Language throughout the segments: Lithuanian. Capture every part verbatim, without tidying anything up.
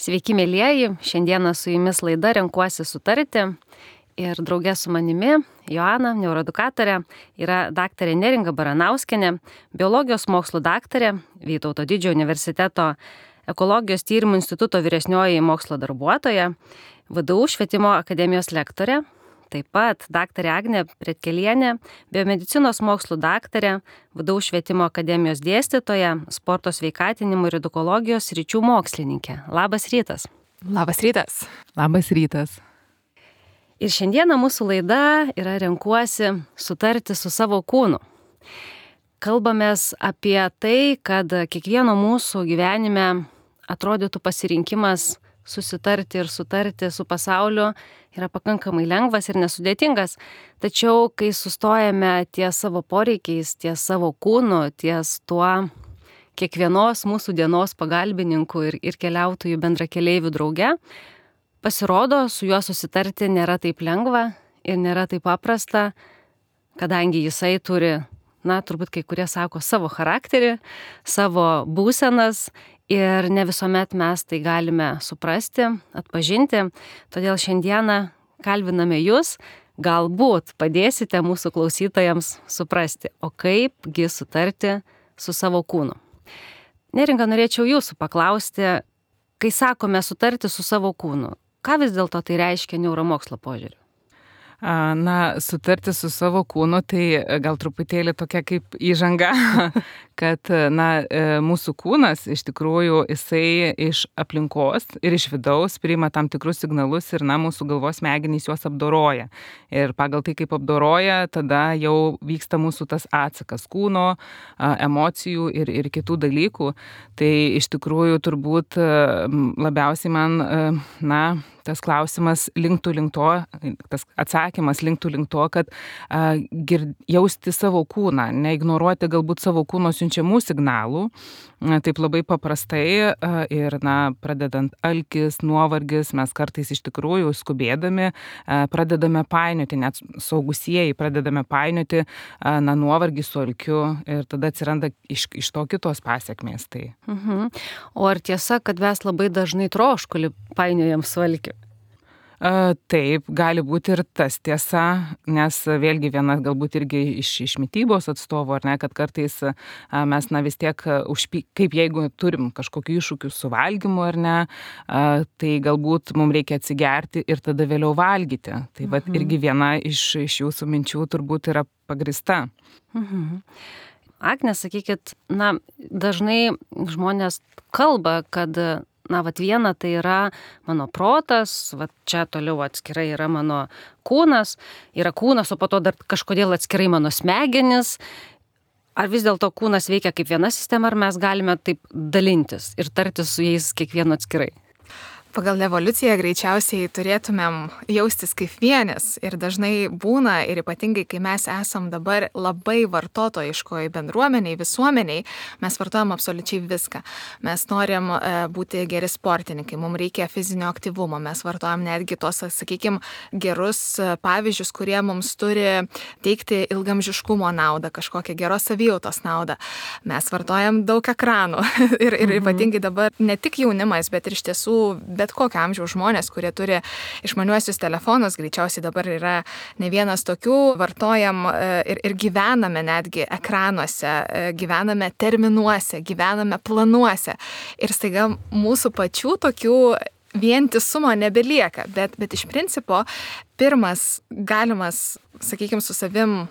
Sveiki, mėlyjeji, šiandieną su jumis laida Renkuosi sutarti ir draugė su manimi, Joana, neuroedukatorė, yra daktarė Neringa Baranauskienė, biologijos mokslų daktarė, Vytauto Didžiojo universiteto ekologijos tyrimų instituto vyresnioji mokslo darbuotoja, V D U švietimo akademijos lektorė, taip pat daktarė Agnė Pretkelienė, biomedicinos mokslų daktarė, V D U švietimo akademijos dėstytoja, sporto sveikatinimo ir edukologijos sričių mokslininkė. Labas rytas. Labas rytas. Labas rytas. Ir šiandieną mūsų laida yra Renkuosi sutarti su savo kūnu. Kalbamės apie tai, kad kiekvieno mūsų gyvenime atrodytų pasirinkimas susitarti ir sutarti su pasauliu yra pakankamai lengvas ir nesudėtingas. Tačiau, kai sustojame ties savo poreikiais, ties savo kūnu, ties tuo kiekvienos mūsų dienos pagalbininku ir, ir keliautojų bendrakeleivių drauge, pasirodo, su juo susitarti nėra taip lengva ir nėra taip paprasta, kadangi jisai turi, na, turbūt kai kurie sako, savo charakterį, savo būsenas ir ne visuomet mes tai galime suprasti, atpažinti. Todėl šiandieną kalbiname jūs, galbūt padėsite mūsų klausytojams suprasti, o kaipgi sutarti su savo kūnu. Neringa, norėčiau jūsų paklausti, kai sakome sutarti su savo kūnu, ką vis dėlto tai reiškia neuromokslo požiūriu? Na, sutarti su savo kūnu, tai gal truputėlį tokia kaip įžanga, kad, na, mūsų kūnas iš tikrųjų jisai iš aplinkos ir iš vidaus priima tam tikrus signalus ir, na, mūsų galvos smegenys juos apdoroja. Ir pagal tai, kaip apdoroja, tada jau vyksta mūsų tas atsakas kūno, emocijų ir, ir kitų dalykų. Tai iš tikrųjų turbūt labiausiai man, na, tas klausimas linktų link to, tas atsakymas linktų link to, kad a, gir, jausti savo kūną, neignoruoti galbūt savo kūno siunčiamų signalų, a, taip labai paprastai a, ir, na, pradedant alkis, nuovargis, mes kartais iš tikrųjų skubėdami a, pradedame painioti, net saugusieji pradedame painioti, a, na, nuovargį su alkiu ir tada atsiranda iš, iš to kitos pasekmės. Tai. Mhm. O ar tiesa, kad mes labai dažnai troškulį painiojam su alkiu? Taip, gali būti ir tas tiesa, nes vėlgi viena galbūt irgi iš, iš mitybos atstovų, ar ne, kad kartais mes, na, vis tiek, užpy, kaip jeigu turim kažkokių iššūkių su valgymu, ar ne, tai galbūt mums reikia atsigerti ir tada vėliau valgyti. Tai mhm. vat irgi viena iš, iš jūsų minčių turbūt yra pagrįsta. Mhm. Agne, sakykit, na, dažnai žmonės kalba, kad na, vat viena tai yra mano protas, vat čia toliau atskirai yra mano kūnas, yra kūnas, o po to dar kažkodėl atskirai mano smegenis. Ar vis dėlto kūnas veikia kaip viena sistema, ar mes galime taip dalintis ir tartis su jais kiekvienu atskirai? Pagal evoliuciją greičiausiai turėtumėm jaustis kaip vienis ir dažnai būna ir ypatingai, kai mes esam dabar labai vartotojiškoj bendruomeniai, visuomeniai, mes vartojam absoliučiai viską. Mes norim e, būti geri sportininkai, mums reikia fizinio aktyvumo, mes vartojam netgi tos, sakykime, gerus pavyzdžius, kurie mums turi teikti ilgamžiškumo naudą, kažkokią geros savijautos naudą. Mes vartojam daug ekranų ir, ir mhm. ypatingai dabar ne tik jaunimas, bet ir iš tiesų bet kokio amžiaus žmonės, kurie turi išmaniuosius telefonus, greičiausiai dabar yra ne vienas tokių, vartojam ir, ir gyvename netgi ekranuose, gyvename terminuose, gyvename planuose. Ir staiga mūsų pačių tokių vientisumo nebelieka, bet, bet iš principo pirmas galimas, sakykime, su savim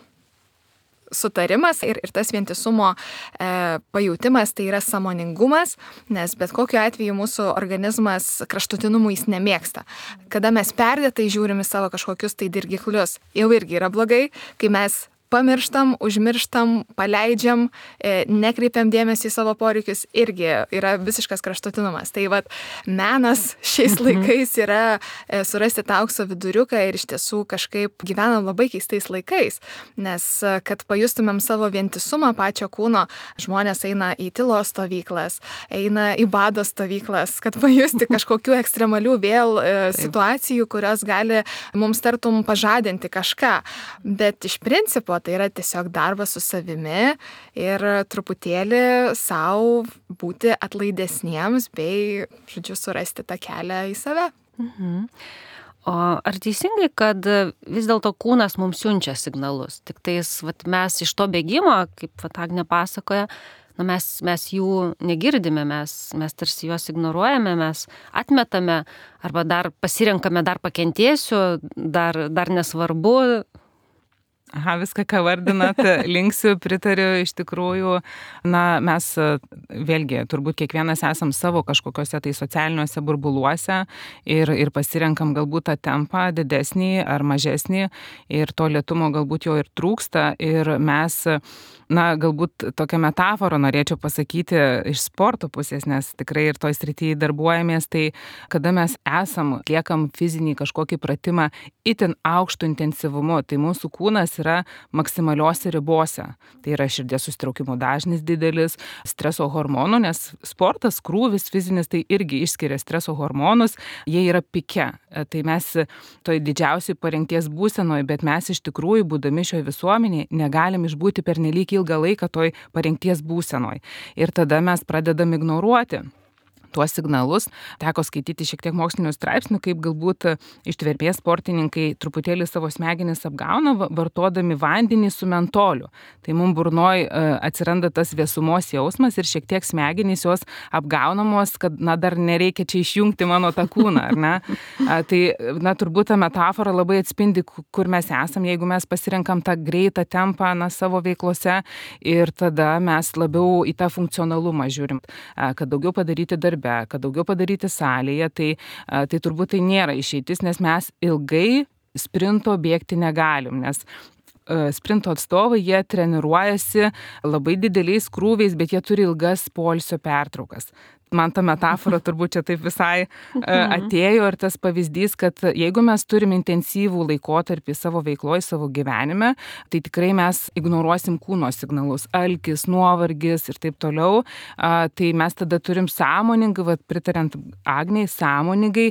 sutarimas ir, ir tas vientisumo e, pajautimas tai yra sąmoningumas, nes bet kokiu atveju mūsų organizmas kraštutinumų jis nemėgsta. Kada mes perdėtai žiūrim į savo kažkokius tai dirgiklius, jau irgi yra blogai, kai mes pamirštam, užmirštam, paleidžiam, e, nekreipiam dėmesį į savo poreikius, irgi yra visiškas kraštutinumas. Tai vat menas šiais laikais yra e, surasti tą aukso viduriuką ir iš tiesų kažkaip gyvenam labai keistais laikais, nes kad pajustumėm savo vientisumą pačio kūno, žmonės eina į tylos stovyklas, eina į bado stovyklas, kad pajusti kažkokių ekstremalių vėl e, situacijų, kurios gali mums tartum pažadinti kažką. Bet iš principo tai yra tiesiog darbas su savimi ir truputėlį savo būti atlaidesniems bei, žodžiu, surasti tą kelią į save. Mhm. O ar teisingai, kad vis dėlto kūnas mums siunčia signalus? Tik tais vat, mes iš to bėgimo, kaip vat, Agnė pasakoja, nu, mes, mes jų negirdime, mes, mes tarsi juos ignoruojame, mes atmetame arba dar pasirenkame, dar pakentėsiu, dar, dar nesvarbu. Aha, viską, ką vardinat, linksiu, pritariu, iš tikrųjų, na, mes vėlgi, turbūt kiekvienas esam savo kažkokiuose tai socialiniuose burbuluose ir, ir pasirenkam galbūt tą tempą didesnį ar mažesnį ir to lėtumo galbūt jo ir trūksta ir mes, na, galbūt tokią metaforą norėčiau pasakyti iš sporto pusės, nes tikrai ir toj srityje darbuojamės, tai kada mes esam, atliekam fizinį kažkokį pratimą itin aukštų intensyvumu, tai mūsų kūnas yra maksimaliuose ribose. Tai yra širdies susitraukimo dažnis didelis, streso hormonų, nes sportas, krūvis fizinis, tai irgi išskiria streso hormonus, jie yra pike. Tai mes toj didžiausiai parengties būsenoje, bet mes iš tikrųjų, būdami šioje visuomenėje, negalim išbūti pernelyg ilgą laiką toj parengties būsenoje. Ir tada mes pradedam ignoruoti tuos signalus. Teko skaityti šiek tiek mokslinių straipsnių, kaip galbūt ištvermės sportininkai truputėlį savo smegenis apgauna, vartodami vandenį su mentoliu. Tai mums burnoj atsiranda tas vėsumos jausmas ir šiek tiek smegenys jos apgaunamos, kad, na, dar nereikia čia išjungti mano tą kūną, ar ne? Tai, na, turbūt ta metafora labai atspindi, kur mes esam, jeigu mes pasirenkam tą greitą tempą, na, savo veiklose ir tada mes labiau į tą funkcionalumą žiūrim, kad daugiau padaryti darbe, kad daugiau padaryti salėje, tai, tai turbūt tai nėra išeitis, nes mes ilgai sprinto bėgti negalim, nes sprinto atstovai, jie treniruojasi labai dideliais krūviais, bet jie turi ilgas poilsio pertraukas. Man ta metafora turbūt čia taip visai atėjo ir tas pavyzdys, kad jeigu mes turime intensyvų laikotarpį savo veikloje, savo gyvenime, tai tikrai mes ignoruosim kūno signalus, alkis, nuovargis ir taip toliau, tai mes tada turim sąmoningai, vat, pritariant Agniai, sąmoningai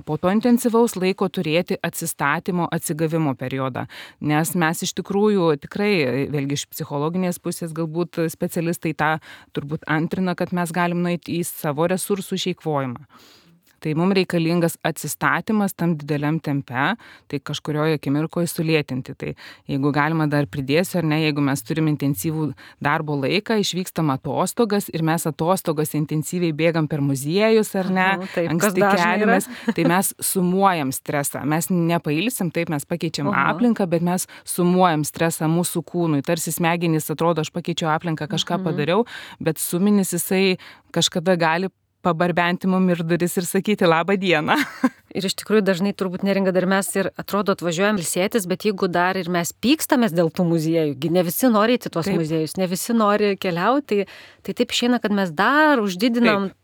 po to intensyvaus laiko turėti atsistatymo, atsigavimo periodą, nes mes iš tikrųjų tikrai, vėlgi iš psichologinės pusės galbūt specialistai tą turbūt antrina, kad mes galim nueiti į savo resursų išeikvojimą. Tai mums reikalingas atsistatymas tam dideliam tempe, tai kažkurioje akimirkoje sulėtinti. Tai jeigu galima dar pridėsiu, ar ne, jeigu mes turim intensyvų darbo laiką, išvykstam atostogas ir mes atostogas intensyviai bėgam per muziejus, ar ne, Aha, taip, anksti keliamės, tai mes sumuojam stresą. Mes nepailsim, taip mes pakeičiam Aha. aplinką, bet mes sumuojam stresą mūsų kūnui. Tarsi smegenys atrodo, aš pakeičiau aplinką, kažką mhm. padariau, bet suminis jisai kažkada gali pabarbenti mum ir duris ir sakyti labą dieną. Ir iš tikrųjų dažnai turbūt neringa dar mes ir atrodo atvažiuojam ilsėtis, bet jeigu dar ir mes pykstamės dėl tų muziejų, ne visi nori eiti tuos taip. muziejus, ne visi nori keliauti, tai taip išeina, kad mes dar uždidinam taip.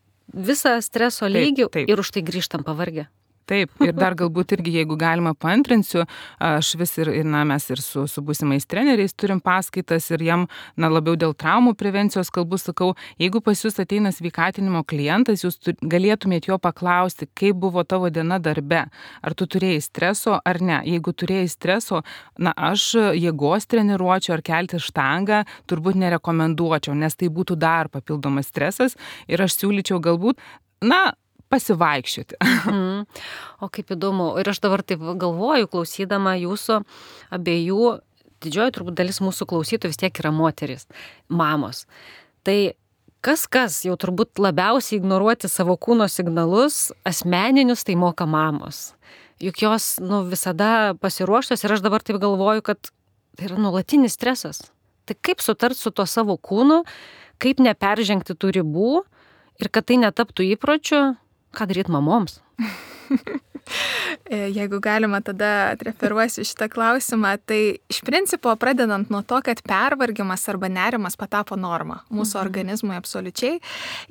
visą streso lygį taip, taip. ir už tai grįžtam pavargę. Taip, ir dar galbūt irgi, jeigu galima paantrinsiu, aš vis ir, na, mes ir su, su būsimais treneriais turim paskaitas ir jam, na, labiau dėl traumų prevencijos kalbų sakau, jeigu pas jūs ateina sveikatinimo klientas, jūs tu, galėtumėt jo paklausti, kaip buvo tavo diena darbe, ar tu turėjai streso ar ne. Jeigu turėjai streso, na, aš jėgos treniruočiau ar kelti štangą turbūt nerekomenduočiau, nes tai būtų dar papildomas stresas ir aš siūlyčiau galbūt, na, pasivaikščioti. Mm. O kaip įdomu. Ir aš dabar taip galvoju, klausydama jūsų abiejų, didžioji turbūt dalis mūsų klausytojų vis tiek yra moteris, mamos. Tai kas kas jau turbūt labiausiai ignoruoti savo kūno signalus, asmeninius, tai moka mamos. Juk jos, nu, visada pasiruoštos ir aš dabar taip galvoju, kad tai yra nuolatinis stresas. Tai kaip sutart su tuo savo kūnu, kaip neperžengti tų ribų ir kad tai netaptų įpročiu, ką daryti mamoms? Jeigu galima, tada atreferuosiu šitą klausimą, tai iš principo pradedant nuo to, kad pervargimas arba nerimas patapo norma mūsų mhm. organizmui absoliučiai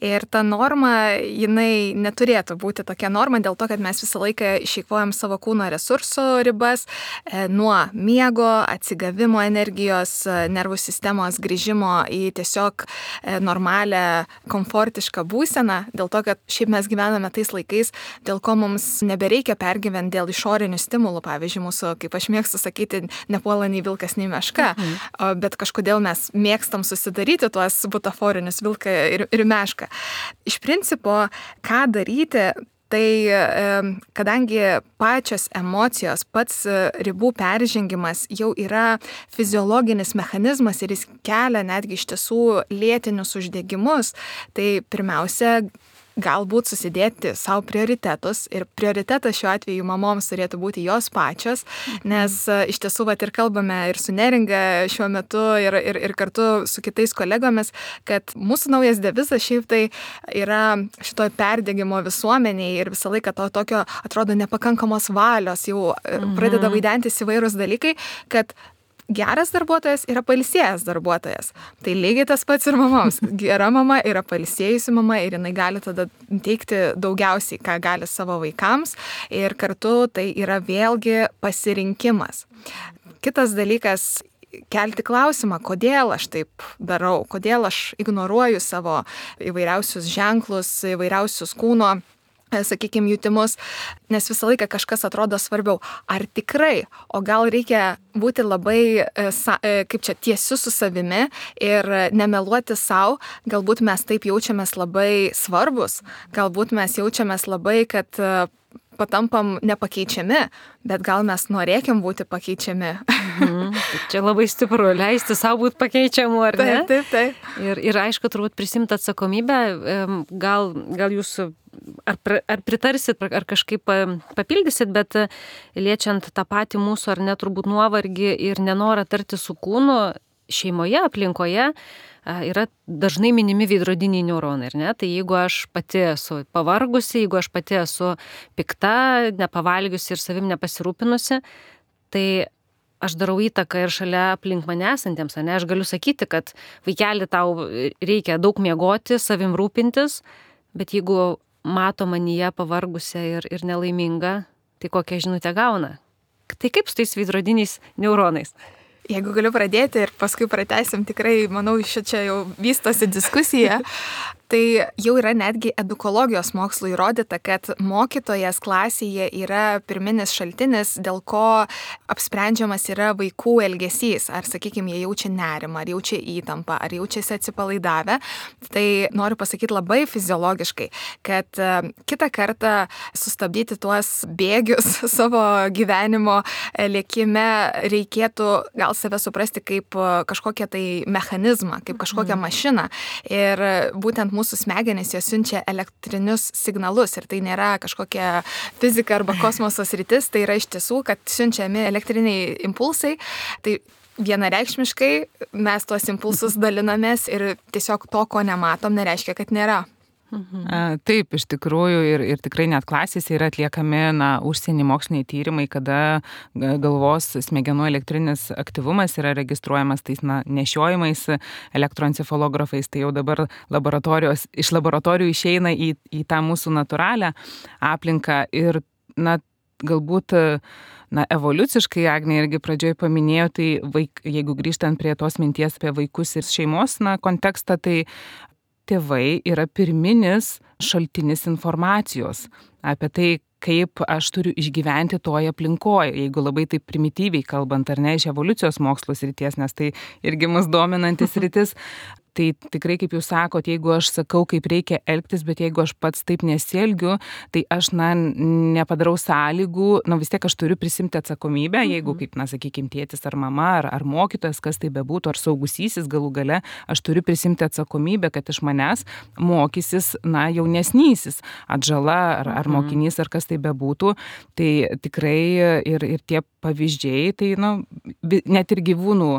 ir ta norma, jinai neturėtų būti tokia norma dėl to, kad mes visą laiką išeikvojam savo kūno resursų ribas e, nuo miego, atsigavimo energijos, nervų sistemos grįžimo į tiesiog e, normalią, komfortišką būseną, dėl to, kad šiaip mes gyvename tais laikais, dėl ko mums nebereikia nereikia pergyventi dėl išorinių stimulų, pavyzdžiui, mūsų, kaip aš mėgstu sakyti, nepuola nei vilkas, nei meška, mhm. bet kažkodėl mes mėgstam susidaryti tuos butaforinius vilką ir, ir mešką. Iš principo, ką daryti, tai kadangi pačios emocijos, pats ribų peržengimas jau yra fiziologinis mechanizmas ir jis kelia netgi iš tiesų lėtinius uždegimus, tai pirmiausia, galbūt susidėti savo prioritetus ir prioritetas šiuo atveju mamoms turėtų būti jos pačios, nes iš tiesų vat ir kalbame ir su Neringa šiuo metu ir, ir, ir kartu su kitais kolegomis, kad mūsų naujas devizas šiaip tai yra šitoj perdegimo visuomeniai ir visą laiką to tokio atrodo nepakankamos valios, jau mhm. pradeda vaidentis įvairūs dalykai, kad geras darbuotojas yra pailsėjęs darbuotojas. Tai lygiai tas pats ir mamoms. Gera mama yra pailsėjusi mama ir jinai gali tada teikti daugiausiai, ką gali savo vaikams ir kartu tai yra vėlgi pasirinkimas. Kitas dalykas, kelti klausimą, kodėl aš taip darau, kodėl aš ignoruoju savo įvairiausius ženklus, įvairiausius kūno sakykime, jutimus, nes visą laiką kažkas atrodo svarbiau. Ar tikrai, o gal reikia būti labai, kaip čia, tiesiu su savimi ir nemeluoti savo, galbūt mes taip jaučiamės labai svarbus, galbūt mes jaučiamės labai, kad patampam nepakeičiami, bet gal mes norėkim būti pakeičiami. Mhm. Čia labai stipru, leisti savo būti pakeičiamu, ar ne? Taip, taip, taip. Ir, ir aišku, turbūt prisimti atsakomybę, gal, gal jūs ar, ar pritarsit, ar kažkaip papildysit, bet liečiant tą patį mūsų ar ne turbūt nuovargį ir nenorą tarti su kūnu, šeimoje, aplinkoje yra dažnai minimi veidrodiniai neuronai, ar ne? Tai jeigu aš pati esu pavargusi, jeigu aš pati esu pikta, nepavalgiusi ir savim nepasirūpinusi, tai aš darau įtaką ir šalia aplink mane esantiems, ne? Aš galiu sakyti, kad vaikeli tau reikia daug miegoti, savim rūpintis, bet jeigu mato manyje pavargusią ir, ir nelaimingą, tai kokią žinutę gauna? Tai kaip su tais veidrodiniais neuronais? Jeigu galiu pradėti ir paskui pratęsim, tikrai, manau, čia jau vystosi diskusija. Tai jau yra netgi edukologijos mokslo įrodyta, kad mokytojas klasėje yra pirminis šaltinis, dėl ko apsprendžiamas yra vaikų elgesys. Ar, sakykime, jie jaučia nerimą, ar jaučia įtampą, ar jaučiasi atsipalaidavę. Tai noriu pasakyti labai fiziologiškai, kad kitą kartą sustabdyti tuos bėgius savo gyvenimo lėkime reikėtų gal save suprasti kaip kažkokią tai mechanizmą, kaip kažkokią mašiną. Ir būtent mūsų smegenys jos siunčia elektrinius signalus ir tai nėra kažkokia fizika arba kosmoso sritis, tai yra iš tiesų, kad siunčiami elektriniai impulsai. Tai vienareikšmiškai mes tuos impulsus dalinamės ir tiesiog to, ko nematom, nereiškia, kad nėra. Mhm. Taip, iš tikrųjų ir, ir tikrai net klasėse yra atliekami na, užsienį moksliniai tyrimai, kada galvos smegenų elektrinis aktyvumas yra registruojamas tais na, nešiojimais elektroencefalografais, tai jau dabar laboratorijos, iš laboratorijų išeina į, į tą mūsų natūralią aplinką ir na, galbūt na, evoliuciškai, Agnė irgi pradžioj paminėjo, tai vaik, jeigu grįžtant prie tos minties apie vaikus ir šeimos na, kontekstą, tai tėvai yra pirminis šaltinis informacijos apie tai, kaip aš turiu išgyventi toje aplinkoje, jeigu labai taip primityviai kalbant, ar ne, iš evoliucijos mokslo srities, nes tai irgi mus dominantis sritis. Tai tikrai, kaip jūs sakot, jeigu aš sakau, kaip reikia elgtis, bet jeigu aš pats taip nesielgiu, tai aš, na, nepadarau sąlygų, na, vis tiek aš turiu prisimti atsakomybę, jeigu, kaip, na, sakykime, tėtis ar mama, ar, ar mokytojas, kas tai bebūtų, ar saugusysis galų gale, aš turiu prisimti atsakomybę, kad iš manęs mokysis, na, jaunesnysis, atžala, ar, ar mokinys, ar kas tai bebūtų. Tai tikrai ir, ir tie pavyzdžiai, tai, na, net ir gyvūnų,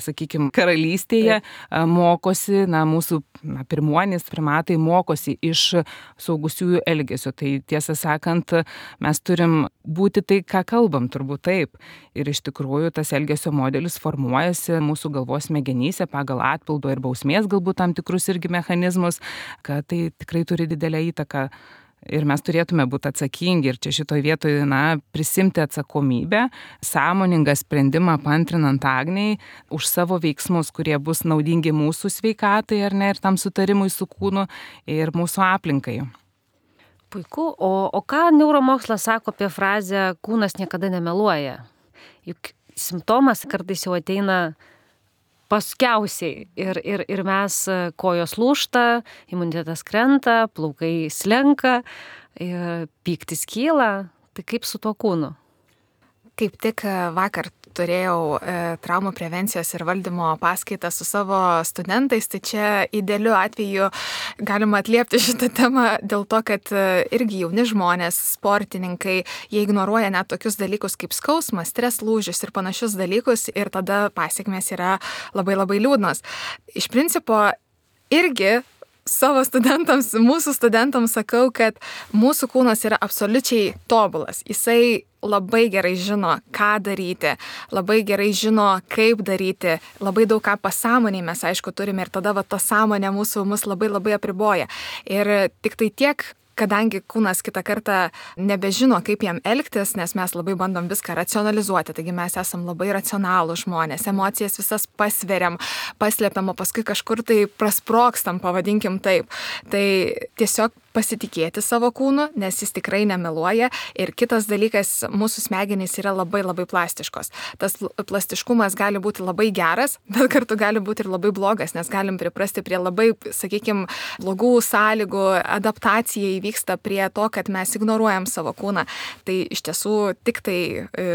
sakykime, karalystėje mokosi, na, mūsų na, pirmuonys, primatai mokosi iš saugusiųjų elgesio. Tai tiesą sakant, mes turim būti tai, ką kalbam, turbūt taip. Ir iš tikrųjų tas elgesio modelis formuojasi mūsų galvos smegenyse pagal atpildo ir bausmės galbūt tam tikrus irgi mechanizmus, kad tai tikrai turi didelę įtaką. Ir mes turėtume būti atsakingi ir čia šitoj vietoje, na, prisimti atsakomybę, sąmoningą sprendimą paantrinant Agnei už savo veiksmus, kurie bus naudingi mūsų sveikatai, ar ne, ir tam sutarimui su kūnu ir mūsų aplinkai. Puiku. O, o ką neuromokslas sako apie frazę kūnas niekada nemeluoja? Juk simptomas kartais jau ateina paskiausiai ir, ir, ir mes kojos lūžta, imunitetas krenta, plaukai slenka, pyktis kyla. Tai kaip su tuo kūnu? Kaip tik vakar turėjau e, traumų prevencijos ir valdymo paskaitą su savo studentais, tai čia idealiu atveju galima atliepti šitą temą dėl to, kad e, irgi jauni žmonės, sportininkai, jie ignoruoja net tokius dalykus kaip skausmas, stres lūžis ir panašius dalykus ir tada pasiekmės yra labai labai liūdnos. Iš principo irgi savo studentams, mūsų studentams sakau, kad mūsų kūnas yra absoliučiai tobulas. Jisai labai gerai žino, ką daryti, labai gerai žino, kaip daryti, labai daug ką pasąmoniai mes aišku turime ir tada va, ta sąmonė mūsų mus labai labai apriboja. Ir tik tai tiek, kadangi kūnas kitą kartą nebežino, kaip jam elgtis, nes mes labai bandom viską racionalizuoti, taigi mes esam labai racionalų žmonės, emocijas visas pasveriam, paslėpiam, o paskui kažkur tai prasprokstam, pavadinkim taip. Tai tiesiog pasitikėti savo kūnu, nes jis tikrai nemeluoja. Ir kitas dalykas, mūsų smegenys yra labai labai plastiškos. Tas plastiškumas gali būti labai geras, bet kartu gali būti ir labai blogas, nes galim priprasti prie labai, sakykime, blogų sąlygų, adaptacija įvyksta prie to, kad mes ignoruojam savo kūną. Tai iš tiesų tik tai e,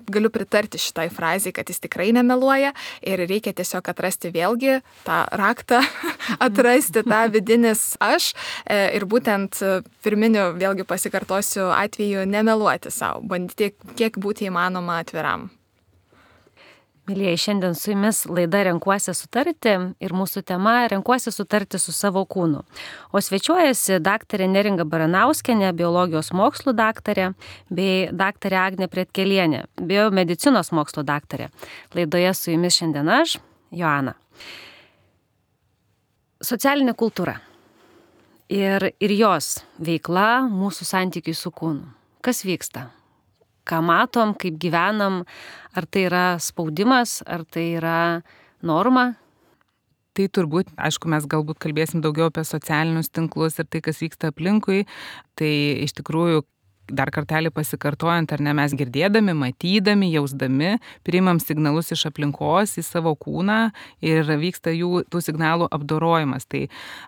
galiu pritarti šitai frazai, kad jis tikrai nemeluoja ir reikia tiesiog atrasti vėlgi tą raktą, atrasti tą vidinis aš e, ir būti Būtent pirminiu, vėlgi pasikartosiu, atveju nemeluoti savo, bandyti kiek būti įmanoma atviram. Mylėjai, šiandien su jumis laida Renkuosi sutarti ir mūsų tema Renkuosi sutarti su savo kūnu. O svečiuojasi daktarė Neringa Baranauskienė, biologijos mokslų daktarė, bei daktarė Agnė Pretkelienė, biomedicinos mokslų daktarė. Laidoje su jumis šiandien aš, Joana. Socialinė kultūra. Ir, ir jos veikla mūsų santykiui su kūnu. Kas vyksta? Ką matom, kaip gyvenam? Ar tai yra spaudimas, ar tai yra norma? Tai turbūt, aišku, mes galbūt kalbėsim daugiau apie socialinius tinklus ir tai, kas vyksta aplinkui. Tai iš tikrųjų, dar kartelį pasikartojant, ar ne, mes girdėdami, matydami, jausdami, priimam signalus iš aplinkos į savo kūną ir vyksta jų tų signalų apdorojimas. Tai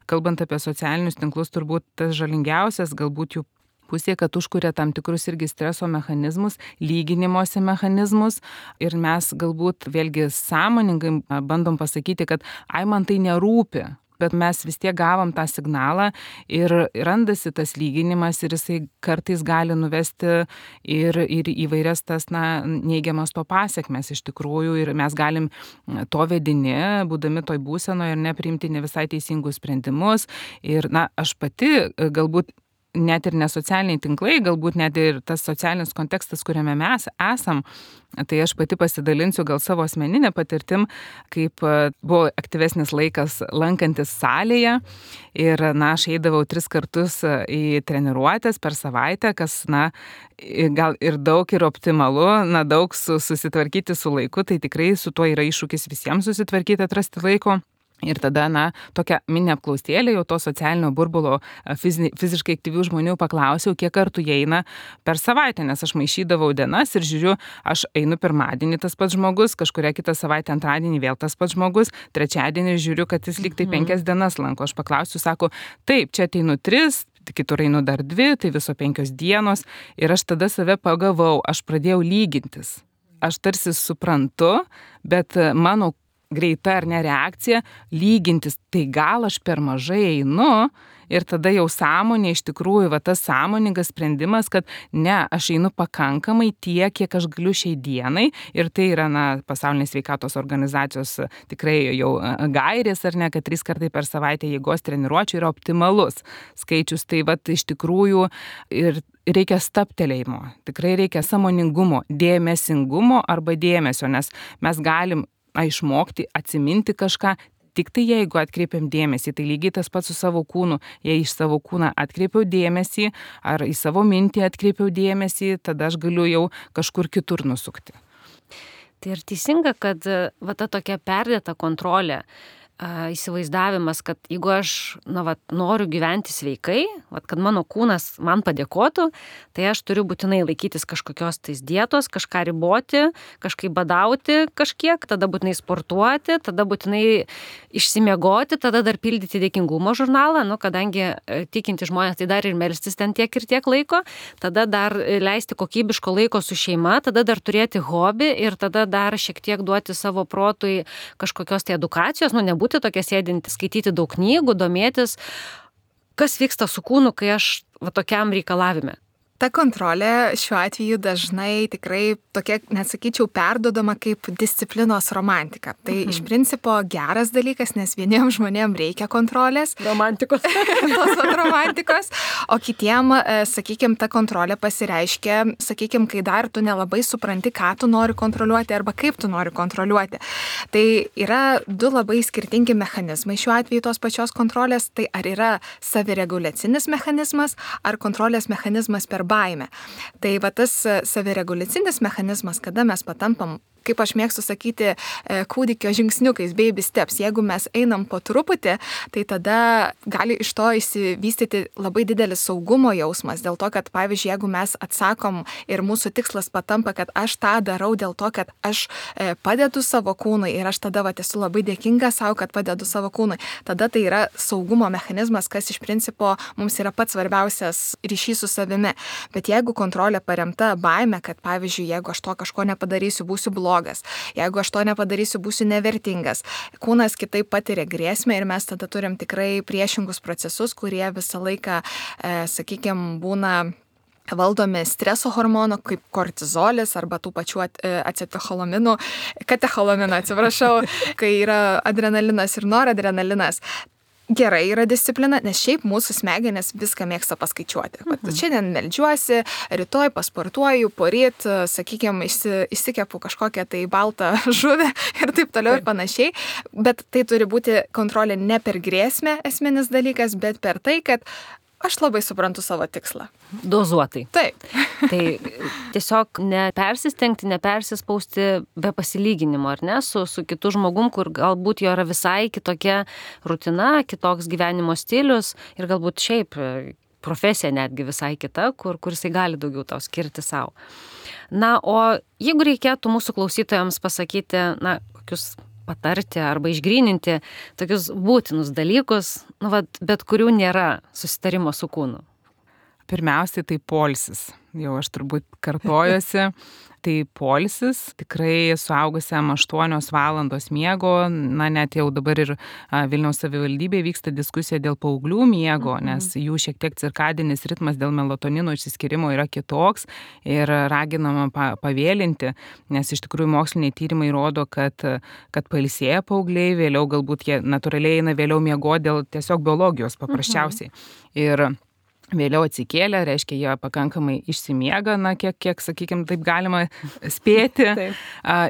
kalbant apie socialinius tinklus, turbūt tas žalingiausias galbūt jų pusė, kad užkuria tam tikrus irgi streso mechanizmus, lyginimosi mechanizmus ir mes galbūt vėlgi sąmoningai bandom pasakyti, kad ai man tai nerūpi. Bet mes vis tiek gavom tą signalą ir randasi tas lyginimas ir jisai kartais gali nuvesti ir, ir įvairias tas na, neigiamas to pasiekmes iš tikrųjų ir mes galim to vedini, būdami toj būsenoje ir nepriimti ne visai teisingus sprendimus. Ir na, aš pati galbūt net ir ne socialiniai tinklai, galbūt net ir tas socialinis kontekstas, kuriame mes esam, tai aš pati pasidalinsiu gal savo asmeninę patirtim, kaip buvo aktyvesnis laikas lankantis salėje ir, na, aš eidavau tris kartus į treniruotės per savaitę, kas, na, gal ir daug ir optimalu, na, daug su, susitvarkyti su laiku, tai tikrai su tuo yra iššūkis visiems susitvarkyti, atrasti laiko. Ir tada, na, tokia mini apklausėlė jau to socialinio burbulo fizi, fiziškai aktyvių žmonių paklausiau, kiek kartų jie eina per savaitę, nes aš maišydavau dienas ir žiūriu, aš einu pirmadienį tas pats žmogus, kažkuria kitą savaitę antradienį vėl tas pats žmogus, trečiadienį žiūriu, kad jis lyg tai penkias dienas lanko. Aš paklausiu, sako, taip, čia ateinu tris, kitur einu dar dvi, tai viso penkios dienos ir aš tada save pagavau, aš pradėjau lygintis. Aš tarsi suprantu, bet mano greita ar ne reakcija, lygintis, tai gal aš per mažai einu ir tada jau sąmonė iš tikrųjų, va tas sąmoningas sprendimas, kad ne, aš einu pakankamai tiek, kiek aš galiu šiai dienai ir tai yra, na, pasaulinės sveikatos organizacijos tikrai jau gairės ar ne, kad trys kartai per savaitę jėgos treniruočių yra optimalus skaičius, tai va iš tikrųjų ir reikia stabtelėjimo, tikrai reikia sąmoningumo, dėmesingumo arba dėmesio, nes mes galim išmokti, atsiminti kažką, tik tai jeigu atkreipiam dėmesį, tai lygiai tas pats su savo kūnu, jei iš savo kūną atkreipiau dėmesį ar į savo mintį atkreipiau dėmesį, tada aš galiu jau kažkur kitur nusukti. Tai ir teisinga, kad va ta tokia perdėta kontrolė, įsivaizdavimas, kad jeigu aš na, vat, noriu gyventi sveikai, vat, kad mano kūnas man padėkotų, tai aš turiu būtinai laikytis kažkokios tais dietos, kažką riboti, kažkaip badauti kažkiek, tada būtinai sportuoti, tada būtinai išsimiegoti, tada dar pildyti dėkingumo žurnalą, nu, kadangi tikinti žmonės tai dar ir melstis ten tiek ir tiek laiko, tada dar leisti kokybiško laiko su šeima, tada dar turėti hobį ir tada dar šiek tiek duoti savo protui kažkokios tai edukacijos, nu, nebūti tokia sėdinti, skaityti daug knygų, domėtis, kas vyksta su kūnu, kai aš va, tokiam reikalavime. Ta kontrolė šiuo atveju dažnai tikrai tokia, nesakyčiau, perdodama kaip disciplinos romantika. Tai mhm. iš principo geras dalykas, nes vieniems žmonėms reikia kontrolės. Romantikos. Tos vat romantikos. O kitiem, sakykime, ta kontrolė pasireiškia, sakykime, kai dar tu nelabai supranti, ką tu nori kontroliuoti arba kaip tu nori kontroliuoti. Tai yra du labai skirtingi mechanizmai šiuo atveju tos pačios kontrolės. Tai ar yra savireguliacinis mechanizmas, ar kontrolės mechanizmas per baimę. Tai va tas savireguliacinis mechanizmas, kada mes patampam, kaip aš mėgstu sakyti, kūdikio žingsniukais, baby steps. Jeigu mes einam po truputį, tai tada gali iš to įsivystyti labai didelis saugumo jausmas. Dėl to, kad, pavyzdžiui, jeigu mes atsakom ir mūsų tikslas patampa, kad aš tą darau dėl to, kad aš padedu savo kūnui ir aš tada va, esu labai dėkinga savo, kad padedu savo kūnui, tada tai yra saugumo mechanizmas, kas iš principo mums yra pats svarbiausias ryšys su savimi. Bet jeigu kontrolė paremta baime, kad, pavyzdžiui, jeigu aš to kažko nepadarysiu, būsiu blogas, jeigu aš to nepadarysiu, būsiu nevertingas. Kūnas kitaip patiria grėsmę ir mes tada turim tikrai priešingus procesus, kurie visą laiką, e, sakykime, būna valdomi streso hormonų, kaip kortizolis arba tų pačių acetecholaminų, katecholamino, atsiprašau, kai yra adrenalinas ir noradrenalinas. Gerai yra disciplina, nes šiaip mūsų smegenys viską mėgsta paskaičiuoti. Mhm. Šiandien meldžiuosi, rytoj pasportuoju, poryt, sakykime, įsikepu kažkokią tai baltą žuvį ir taip toliau ir panašiai. Bet tai turi būti kontrolė ne per grėsmę esminis dalykas, bet per tai, kad aš labai suprantu savo tikslą. Dozuotai. Taip. Tai tiesiog nepersistengti, nepersispausti be pasilyginimo, ar ne, su, su kitu žmogum, kur galbūt jo yra visai kitokia rutina, kitoks gyvenimo stilius ir galbūt šiaip profesija netgi visai kita, kur, kur jisai gali daugiau tau skirti savo. Na, o jeigu reikėtų mūsų klausytojams pasakyti, na, kokius patarti arba išgryninti tokius būtinus dalykus, nu, vat, bet kurių nėra susitarimo su kūnu. Pirmiausiai tai poilsis. Jau aš turbūt kartojuosi. Tai poilsis, tikrai suaugusiam aštuonios valandos miego, na net jau dabar ir Vilniaus savivaldybėje vyksta diskusija dėl paauglių miego, mhm. nes jų šiek tiek cirkadinis ritmas dėl melatonino išsiskyrimo yra kitoks ir raginama pavėlinti, nes iš tikrųjų moksliniai tyrimai rodo, kad, kad pailsėję paaugliai, vėliau galbūt jie natūraliai eina vėliau miego dėl tiesiog biologijos paprasčiausiai. Mhm. Ir vėliau atsikėlę, reiškia, jie pakankamai išsimiega, na, kiek, kiek sakykime, taip galima spėti.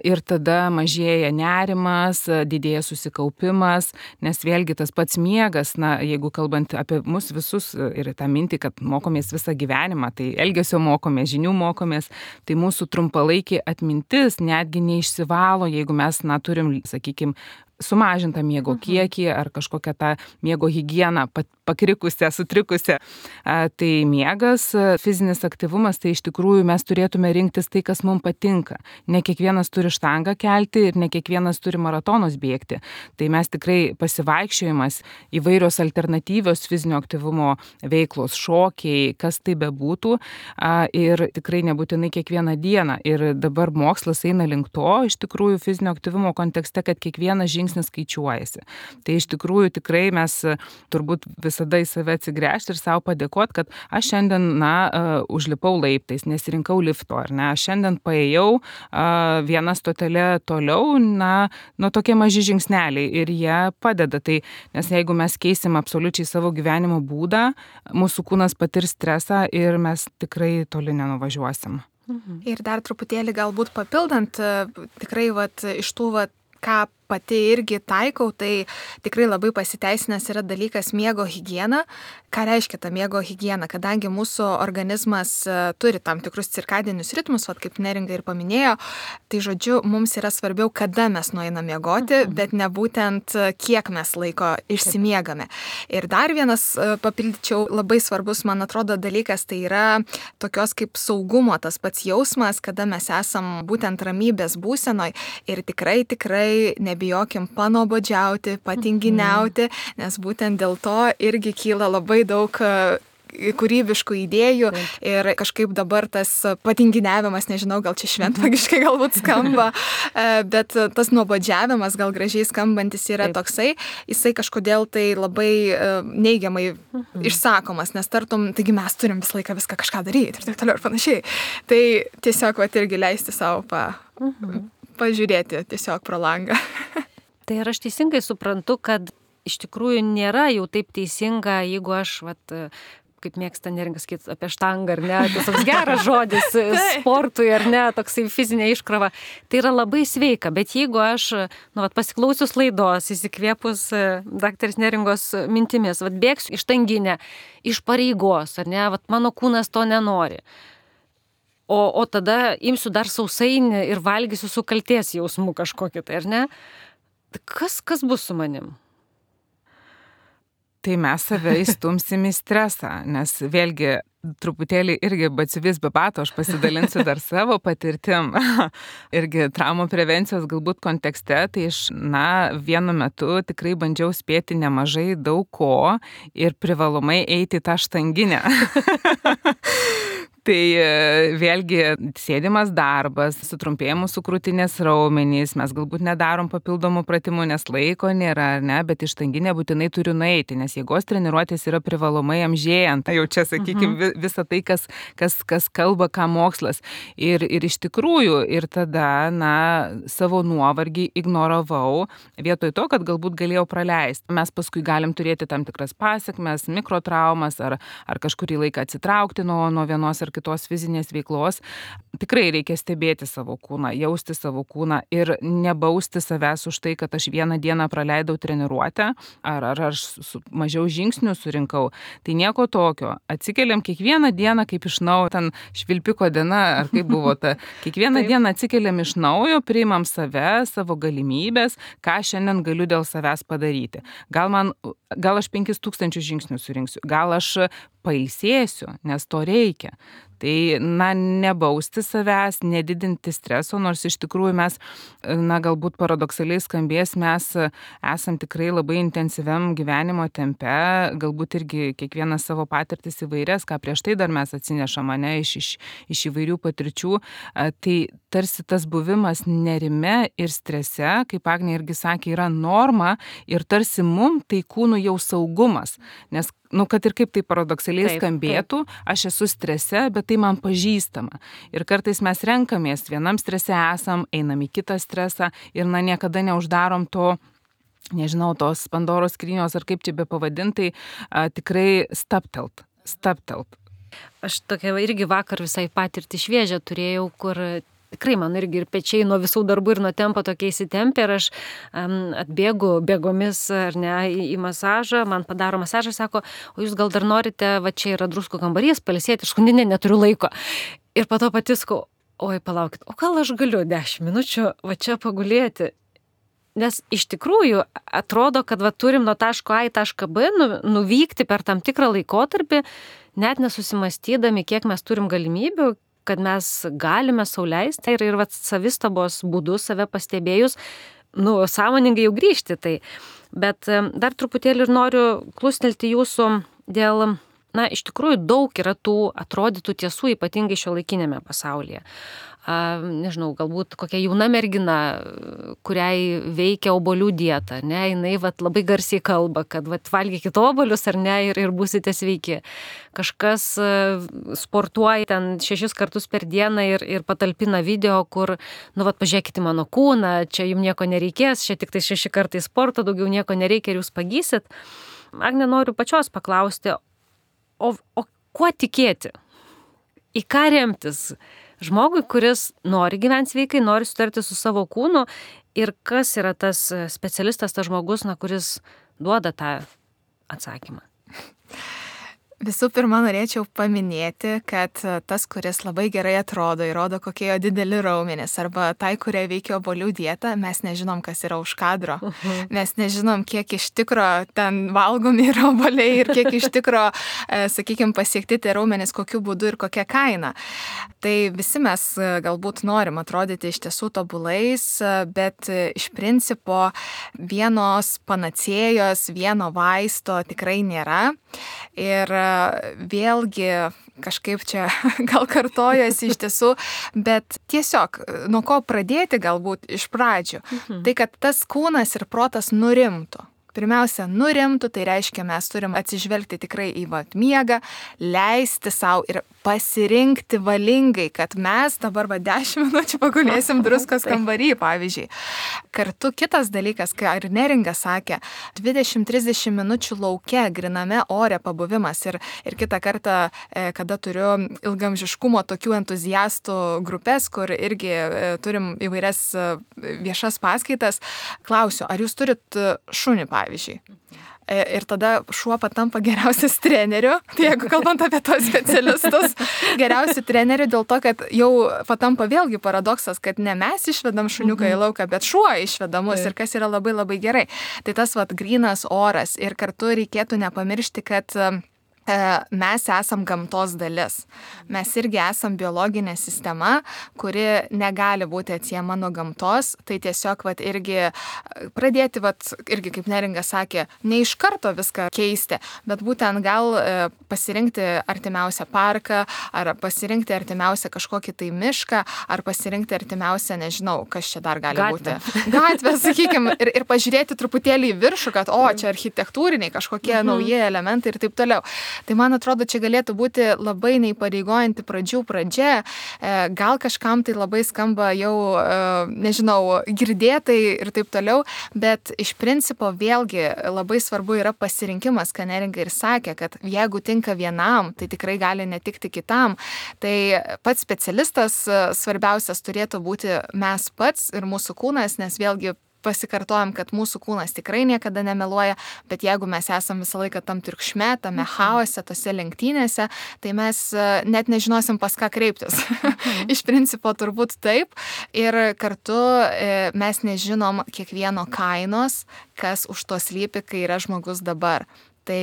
Ir tada mažėja nerimas, didėja susikaupimas, nes vėlgi tas pats miegas, na, jeigu kalbant apie mus visus ir tą mintį, kad mokomės visą gyvenimą, tai elgesio mokomės, žinių mokomės, tai mūsų trumpalaikė atmintis netgi neišsivalo, jeigu mes, na, turim, sakykime, sumažintą miego kiekį ar kažkokią tą miego higieną pakrikusią, sutrikusią. Tai miegas, fizinis aktyvumas, tai iš tikrųjų mes turėtume rinktis tai, kas mums patinka. Ne kiekvienas turi štangą kelti ir ne kiekvienas turi maratonus bėgti. Tai mes tikrai pasivaikščiojimas, įvairios alternatyvios fizinio aktyvumo veiklos, šokiai, kas tai bebūtų ir tikrai nebūtinai kiekvieną dieną. Ir dabar mokslas eina link to, iš tikrųjų fizinio aktyvumo kontekste, kad kiekvienas žingsnis skaičiuojasi. Tai iš tikrųjų tikrai mes turbūt visada į save atsigręžti ir savo padėkoti, kad aš šiandien, na, uh, užlipau laiptais, nesirinkau lifto, ar ne, aš šiandien paėjau uh, vieną stotelę toliau, na, nu tokie maži žingsneliai ir jie padeda. Tai, nes jeigu mes keisim absoliučiai savo gyvenimo būdą, mūsų kūnas patirs stresą ir mes tikrai toli nenuvažiuosim. Mhm. Ir dar truputėlį galbūt papildant, tikrai vat, iš tų, vat, ką pati irgi taikau, tai tikrai labai pasiteisinęs yra dalykas miego higiena. Ką reiškia ta miego higiena? Kadangi mūsų organizmas turi tam tikrus cirkadinius ritmus, vat, kaip Neringa ir paminėjo, tai žodžiu, mums yra svarbiau, kada mes nueiname miegoti, mhm. bet ne būtent kiek mes laiko išsimiegame. Ir dar vienas, papildyčiau, labai svarbus, man atrodo, dalykas, tai yra tokios kaip saugumo tas pats jausmas, kada mes esam būtent ramybės būsenoj ir tikrai, tikrai nebijokim panuobodžiauti, patinginiauti, nes būtent dėl to irgi kyla labai daug kūrybiškų idėjų ir kažkaip dabar tas patinginiavimas, nežinau, gal čia šventvagiškai galbūt skamba, bet tas nuobodžiavimas gal gražiai skambantis yra Taip. Toksai, jisai kažkodėl tai labai neigiamai mhm. išsakomas, nes tartum, taigi mes turim visą laiką viską kažką daryti ir taip toliau ir panašiai. Tai tiesiog vat irgi leisti savo pa, mhm. pažiūrėti tiesiog pro langą. Tai ar aš teisingai suprantu, kad iš tikrųjų nėra jau taip teisinga, jeigu aš, vat, kaip mėgsta Neringa sakyti, apie štangą, ar ne, tas toks geras žodis sportui, ar ne, toksai fizinė iškrova, tai yra labai sveika, bet jeigu aš, nu, vat, pasiklausius laidos, įsikvėpus daktarės Neringos mintimis, vat, bėgsiu iš štanginę, iš pareigos, ar ne, vat, mano kūnas to nenori. O, o tada imsiu dar sausainį ir valgysiu su kaltės jausmu kažkokį, tai ar ne? Kas, kas bus su manim? Tai mes save įstumsim į stresą, nes vėlgi truputėlį irgi batsiuvis be bato, aš pasidalinsiu dar savo patirtim. Irgi traumų prevencijos galbūt kontekste, tai iš, na, vienu metu tikrai bandžiau spėti nemažai daug ko ir privalomai eiti tą štanginę. Tai vėlgi sėdimas darbas, sutrumpėjimus su krūtinės raumenys, mes galbūt nedarom papildomų pratimų, nes laiko nėra, ar ne, bet į štanginę būtinai turiu nueiti, nes jėgos treniruotės yra privalomai amžėjant. Jau čia, sakykime, mhm. visą tai, kas, kas, kas kalba, ką mokslas. Ir, ir iš tikrųjų, ir tada, na, savo nuovargį ignoravau, vietoj to, kad galbūt galėjau praleisti. Mes paskui galim turėti tam tikras pasekmes, mikrotraumas, ar, ar kažkurį laiką atsitraukti nuo, nuo vienos ar kitos fizinės veiklos. Tikrai reikia stebėti savo kūną, jausti savo kūną ir nebausti savęs už tai, kad aš vieną dieną praleidau treniruotę ar, ar aš su, mažiau žingsnių surinkau. Tai nieko tokio. Atsikeliam kiekvieną dieną kaip iš naujo, ten švilpiko diena, ar kaip buvo ta. Kiekvieną dieną atsikeliam iš naujo, priimam save, savo galimybės, ką šiandien galiu dėl savęs padaryti. Gal man, gal aš penkis tūkstančius žingsnių surinksiu, gal aš pailsėsiu, nes to reikia. Tai, na, nebausti savęs, nedidinti streso, nors iš tikrųjų mes, na, galbūt paradoksaliai skambės, mes esam tikrai labai intensyviam gyvenimo tempe, galbūt irgi kiekvienas savo patirtis įvairias, ką prieš tai dar mes atsinešam, ne, iš, iš, iš įvairių patirčių. Tai tarsi tas buvimas nerime ir strese, kaip Agnė irgi sakė, yra norma ir tarsi mum tai kūnų jau saugumas, nes nu, kad ir kaip tai paradoksaliai taip, skambėtų, taip. Aš esu strese, bet tai man pažįstama. Ir kartais mes renkamės, vienam strese esam, einam į kitą stresą ir, na, niekada neuždarom to, nežinau, tos Pandoros skrynios ar kaip čia be pavadintai, a, tikrai staptelt, staptelt. Aš tokia irgi vakar visai patirtį šviežią turėjau, kur tikrai man irgi ir pečiai nuo visų darbų ir nuo tempo tokie įsitempė ir aš um, atbėgu bėgomis ar ne, į, į masažą, man padaro masažą, sako, o jūs gal dar norite, va čia yra druskų kambarys, pailsėti, aš ne, neturiu laiko. Ir po to patiskau, oi palaukit, o gal aš galiu dešimt minučių va čia pagulėti. Nes iš tikrųjų atrodo, kad va, turim nuo taško A į tašką B nu, nuvykti per tam tikrą laikotarpį, net nesusimastydami, kiek mes turim galimybių, kad mes galime sau leisti ir, ir vat, savistabos būdu, save pastebėjus, nu, sąmoningai jau grįžti. Tai. Bet dar truputėlį ir noriu klustelti jūsų dėl, na, iš tikrųjų daug yra tų atrodytų tiesų, ypatingai šiuolaikinėme pasaulyje. A, nežinau, galbūt kokia jauna mergina, kuriai veikia obuolių dieta, ne, jinai vat, labai garsiai kalba, kad vat, valgykit obuolius ar ne ir, ir būsite sveiki. Kažkas sportuoja ten šešis kartus per dieną ir, ir patalpina video, kur, nu, vat, pažiūrėkite mano kūną, čia jums nieko nereikės, čia tik tai šeši kartai sporto, daugiau nieko nereikia ir jūs pagysit. Agne, noriu pačios paklausti, o, o kuo tikėti? Į ką remtis? Žmogui, kuris nori gyventi sveikai, nori sutarti su savo kūnu Ir kas yra tas specialistas, tas žmogus, na, kuris duoda tą atsakymą? Visų pirma, norėčiau paminėti, kad tas, kuris labai gerai atrodo, įrodo, kokie jo dideli raumenys, arba tai, kurie veikia obuolių dietą, mes nežinom, kas yra už kadro. Uh-huh. Mes nežinom, kiek iš tikro ten valgomi yra obuoliai ir kiek iš tikro, e, sakykime, pasiekti tie raumenys, kokiu būdu ir kokia kaina. Tai visi mes galbūt norim atrodyti iš tiesų tobulais, bet iš principo vienos panacėjos, vieno vaisto tikrai nėra. Ir vėlgi kažkaip čia gal kartojasi iš tiesų, bet tiesiog nuo ko pradėti galbūt iš pradžių, mhm. tai kad tas kūnas ir protas nurimtų. Pirmiausia, nurimtų, tai reiškia, mes turim atsižvelgti tikrai į vat miegą, leisti savo ir pasirinkti valingai, kad mes dabar va dešimt minučių pagulėsim druskos kambarį, pavyzdžiui. Kartu kitas dalykas, ką ir Neringa sakė, dvidešimt trisdešimt minučių lauke, griname ore pabuvimas. Ir, ir kitą kartą, kada turiu ilgamžiškumo tokių entuziastų grupės, kur irgi turim įvairias viešas paskaitas, klausiu, ar jūs turit šunį, pavyzdžiui. Ir tada šuo patampa geriausias treneriu, tai jeigu kalbant apie tos specialistus, geriausių trenerių dėl to, kad jau patampa vėlgi paradoksas, kad ne mes išvedam šuniuką į lauką, bet šuo išvedamus ir kas yra labai labai gerai. Tai tas vat grynas oras ir kartu reikėtų nepamiršti, kad mes esam gamtos dalis. Mes irgi esam biologinė sistema, kuri negali būti atsiejama nuo gamtos. Tai tiesiog vat, irgi pradėti, vat, irgi kaip Neringa sakė, ne iš karto viską keisti, bet būtent gal pasirinkti artimiausią parką, ar pasirinkti artimiausią kažkokį tai mišką, ar pasirinkti artimiausią, nežinau, kas čia dar gali Gatvę. būti. Gatvę, sakykime, ir, ir pažiūrėti truputėlį į viršų, kad o, čia architektūriniai kažkokie mhm. nauji elementai ir taip toliau. Tai man atrodo, čia galėtų būti labai neįpareigojanti pradžių pradžia. Gal kažkam tai labai skamba jau, nežinau, girdėtai ir taip toliau, bet iš principo vėlgi labai svarbu yra pasirinkimas, ką Neringa ir sakė, kad jeigu tinka vienam, tai tikrai gali netikti kitam. Tai pats specialistas svarbiausias turėtų būti mes pats ir mūsų kūnas, nes vėlgi pasikartojam, kad mūsų kūnas tikrai niekada nemeluoja, bet jeigu mes esam visą laiką tam triukšme, tame chaose, tose lenktynėse, tai mes net nežinosim, pas ką kreiptis. Mhm. Iš principo turbūt taip. Ir kartu mes nežinom kiekvieno kainos, kas už to slypi, kai yra žmogus dabar. Tai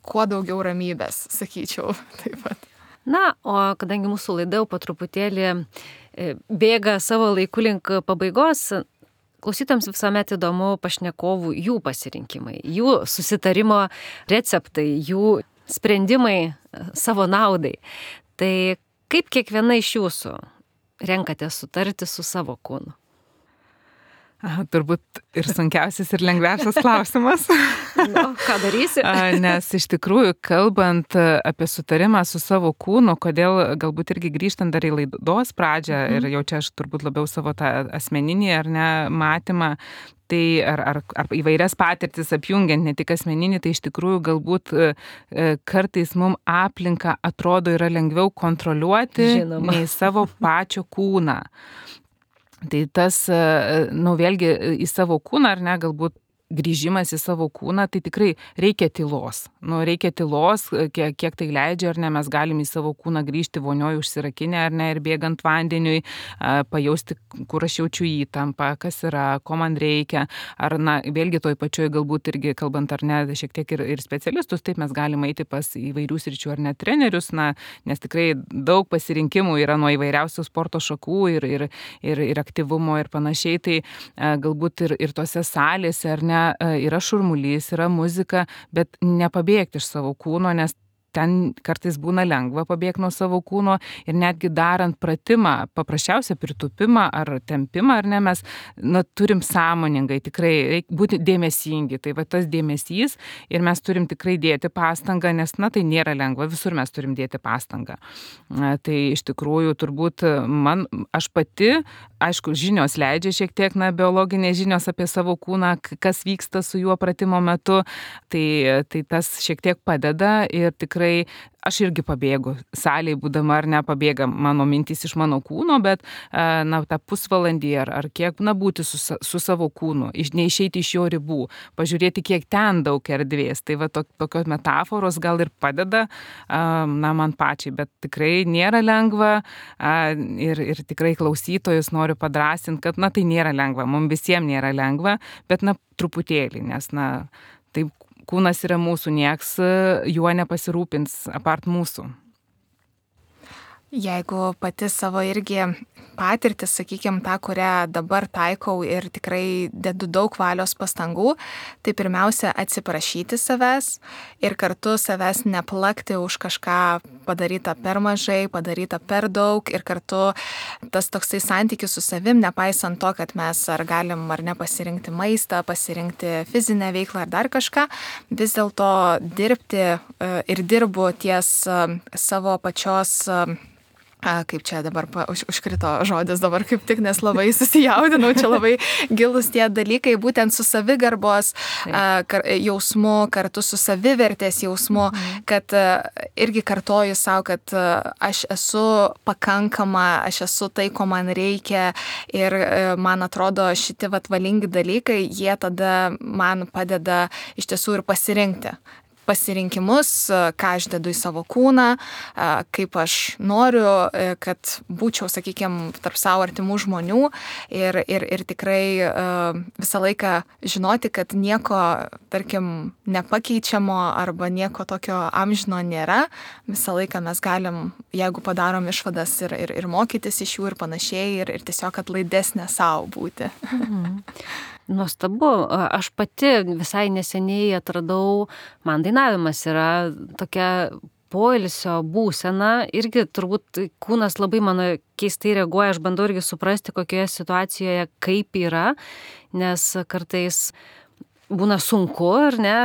kuo daugiau ramybės, sakyčiau, taip pat. Na, o kadangi mūsų laida jau po truputėlį bėga savo laiku link pabaigos, klausytams visuomet įdomu pašnekovų jų pasirinkimai, jų susitarimo receptai, jų sprendimai savo naudai. Tai kaip kiekviena iš jūsų renkate sutarti su savo kūnu? Aha, turbūt ir sunkiausias ir lengviausias klausimas. Nu, ką darysi? Nes iš tikrųjų, kalbant apie sutarimą su savo kūnu, kodėl galbūt irgi grįžtant dar į laidos pradžią, mm. ir jau čia aš turbūt labiau savo tą asmeninį ar ne matymą, tai ar, ar, ar įvairias patirtis apjungiant, ne tik asmeninį, tai iš tikrųjų galbūt e, kartais mums aplinka atrodo yra lengviau kontroliuoti Žinoma. nei savo pačio kūną. Tai tas, nu vėlgi į savo kūną, ar ne, galbūt grįžimas į savo kūną, tai tikrai reikia tylos. Nu, reikia tylos, kiek, kiek tai leidžia, ar ne, mes galim į savo kūną grįžti vonioje užsirakinę, ar ne, ir bėgant vandeniui, pajausti, kur aš jaučiu įtampą, kas yra, ko man reikia. Ar, na, vėlgi toj pačioj galbūt irgi, kalbant ar ne, šiek tiek ir, ir specialistus, taip mes galim eiti pas įvairių sričių ar ne trenerius, na, nes tikrai daug pasirinkimų yra nuo įvairiausių sporto šakų ir, ir, ir, ir aktyvumo ir panašiai. Tai galbūt ir, ir tose salėse, ar ne, yra šurmulys, yra muzika, bet nepabėgti iš savo kūno, nes ten kartais būna lengva pabėgti nuo savo kūno ir netgi darant pratimą, paprasčiausią pritupimą ar tempimą, ar ne, mes na, turim sąmoningai, tikrai reikia būti dėmesingi. Tai va tas dėmesys ir mes turim tikrai dėti pastangą, nes na, tai nėra lengva, visur mes turim dėti pastangą. Tai iš tikrųjų turbūt man, aš pati, aišku, žinios leidžia šiek tiek, na, biologinės žinios apie savo kūną, kas vyksta su juo pratimo metu, tai, tai tas šiek tiek padeda ir tikrai aš irgi pabėgu, salėje būdama ar ne, pabėga mano mintys iš mano kūno, bet na, tą pusvalandį ar, ar kiek, na, būti su, su savo kūnu, iš, neišeiti iš jo ribų, pažiūrėti, kiek ten daug erdvės. Tai va, to, tokios metaforos gal ir padeda, na, man pačiai, bet tikrai nėra lengva ir, ir tikrai klausytojus noriu padrasinti, kad, na, tai nėra lengva, mums visiems nėra lengva, bet, na, truputėlį, nes, na, taip, kūnas yra mūsų, nieks juo nepasirūpins apart mūsų. Jeigu pati savo irgi patirtį, sakykime, tą, kurią dabar taikau ir tikrai dedu daug valios pastangų, tai pirmiausia atsiprašyti savęs ir kartu savęs neplakti už kažką padarytą per mažai, padarytą per daug ir kartu tas toksai santykis su savim, nepaisant to, kad mes ar galim ar ne pasirinkti maistą, pasirinkti fizinę veiklą ar dar kažką, vis dėlto dirbti ir dirbu ties savo pačios kaip čia dabar pa, už, užkrito žodis dabar kaip tik, nes labai susijaudinau, čia labai gilus tie dalykai, būtent su savigarbos a, kar, jausmu, kartu su savivertės jausmu, mhm. kad a, irgi kartoju savo, kad a, aš esu pakankama, aš esu tai, ko man reikia ir a, man atrodo šitie vat valingi dalykai, jie tada man padeda iš tiesų ir pasirinkti. Pasirinkimus, ką aš dedu į savo kūną, kaip aš noriu, kad būčiau, sakykime, tarp savo artimų žmonių ir, ir, ir tikrai visą laiką žinoti, kad nieko, tarkim, nepakeičiamo arba nieko tokio amžino nėra. Visą laiką mes galim, jeigu padarom išvadas ir, ir, ir mokytis iš jų ir panašiai ir, ir tiesiog atlaidesnė savo būti. Mhm. Nuostabu, aš pati visai neseniai atradau, man dainavimas yra tokia poilsio būsena, irgi turbūt kūnas labai mano keistai reaguoja, aš bandau irgi suprasti, kokioje situacijoje kaip yra, nes kartais būna sunku, ar ne,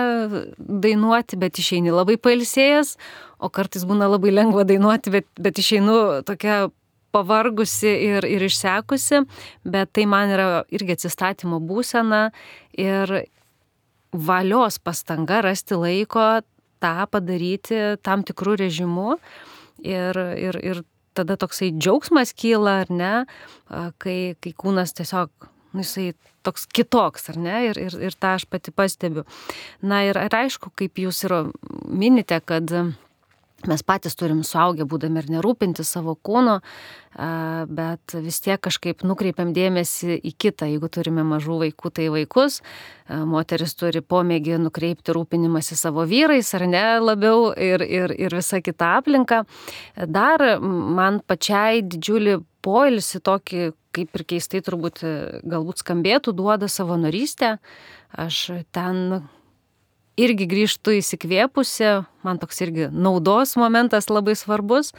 dainuoti, bet išeini labai pailsėjęs, o kartais būna labai lengva dainuoti, bet, bet išeinu tokia pavargusi ir, ir išsekusi, bet tai man yra irgi atsistatymo būsena ir valios pastanga rasti laiko tą padaryti tam tikrų režimų ir, ir, ir tada toksai džiaugsmas kyla, ar ne, kai, kai kūnas tiesiog, nu, jisai toks kitoks, ar ne, ir, ir, ir tą aš pati pastebiu. Na ir, ir aišku, kaip jūs ir minite, kad mes patys turim suaugę būdami ir nerūpinti savo kūno, bet vis tiek kažkaip nukreipiam dėmesį į kitą. Jeigu turime mažų vaikų, tai vaikus. Moteris turi pomėgį nukreipti rūpinimąsi savo vyrais, ar ne, labiau ir, ir, ir visa kita aplinka. Dar man pačiai didžiulį poilsį tokį, kaip ir keistai turbūt galbūt skambėtų, duoda savanorystė. Aš ten irgi grįžtu įsikvėpusi, man toks irgi naudos momentas labai svarbus.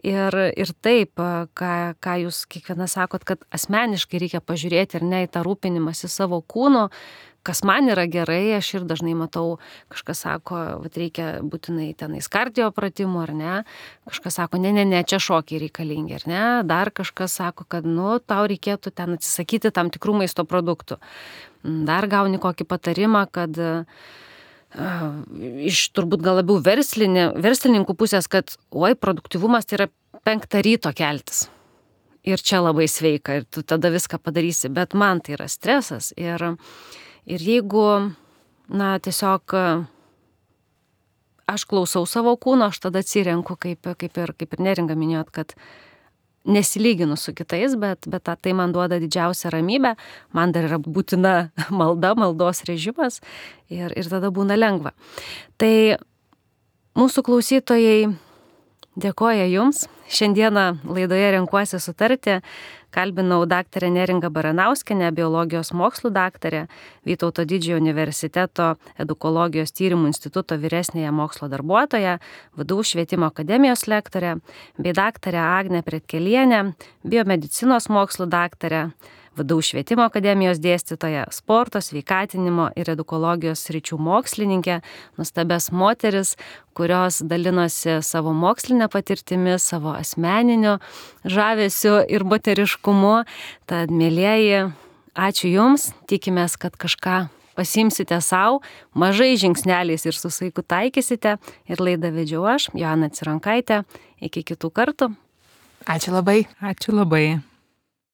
Ir, ir taip, ką, ką jūs kiekviena sakot, kad asmeniškai reikia pažiūrėti ir ne į tą rūpinimąsi savo kūnu, kas man yra gerai, aš ir dažnai matau, kažkas sako, vat reikia būtinai tenais kardio pratimų, ar ne, kažkas sako, ne, ne, ne, čia šokiai reikalingi, ar ne, dar kažkas sako, kad, nu, tau reikėtų ten atsisakyti tam tikrų maisto produktų. Dar gauni kokį patarimą, kad iš turbūt gal labiau verslinė, verslininkų pusės, kad oi, produktyvumas tai yra penktą ryto keltis. Ir čia labai sveika, ir tu tada viską padarysi, bet man tai yra stresas. Ir, ir jeigu, na, tiesiog aš klausau savo kūno, aš tada atsirenku, kaip, kaip, ir, kaip ir Neringa minėjot, kad nesilyginu su kitais, bet, bet tai man duoda didžiausią ramybę, man dar yra būtina malda, maldos režimas ir, ir tada būna lengva. Tai mūsų klausytojai dėkoja jums. Šiandieną laidoje Renkuosi sutarti kalbinau daktarę Neringą Baranauskienę, biologijos mokslų daktarę, Vytauto Didžiojo universiteto edukologijos tyrimų instituto vyresnėje mokslo darbuotoją, V D U švietimo akademijos lektorę, bei daktarę Agnę Pretkelienę, biomedicinos mokslų daktarę, V D U švietimo akademijos dėstytoja, sporto, sveikatinimo ir edukologijos sričių mokslininkė, nuostabias moteris, kurios dalinosi savo mokslinę patirtimi, savo asmeniniu žavesiu ir moteriškumu. Tad, mielieji, ačiū Jums, tikimės, kad kažką pasimsite savo, mažai žingsneliais ir su saiku taikysite. Ir laidą vedžiau aš, Joana Cironkaitė. Iki kitų kartų. Ačiū labai. Ačiū labai.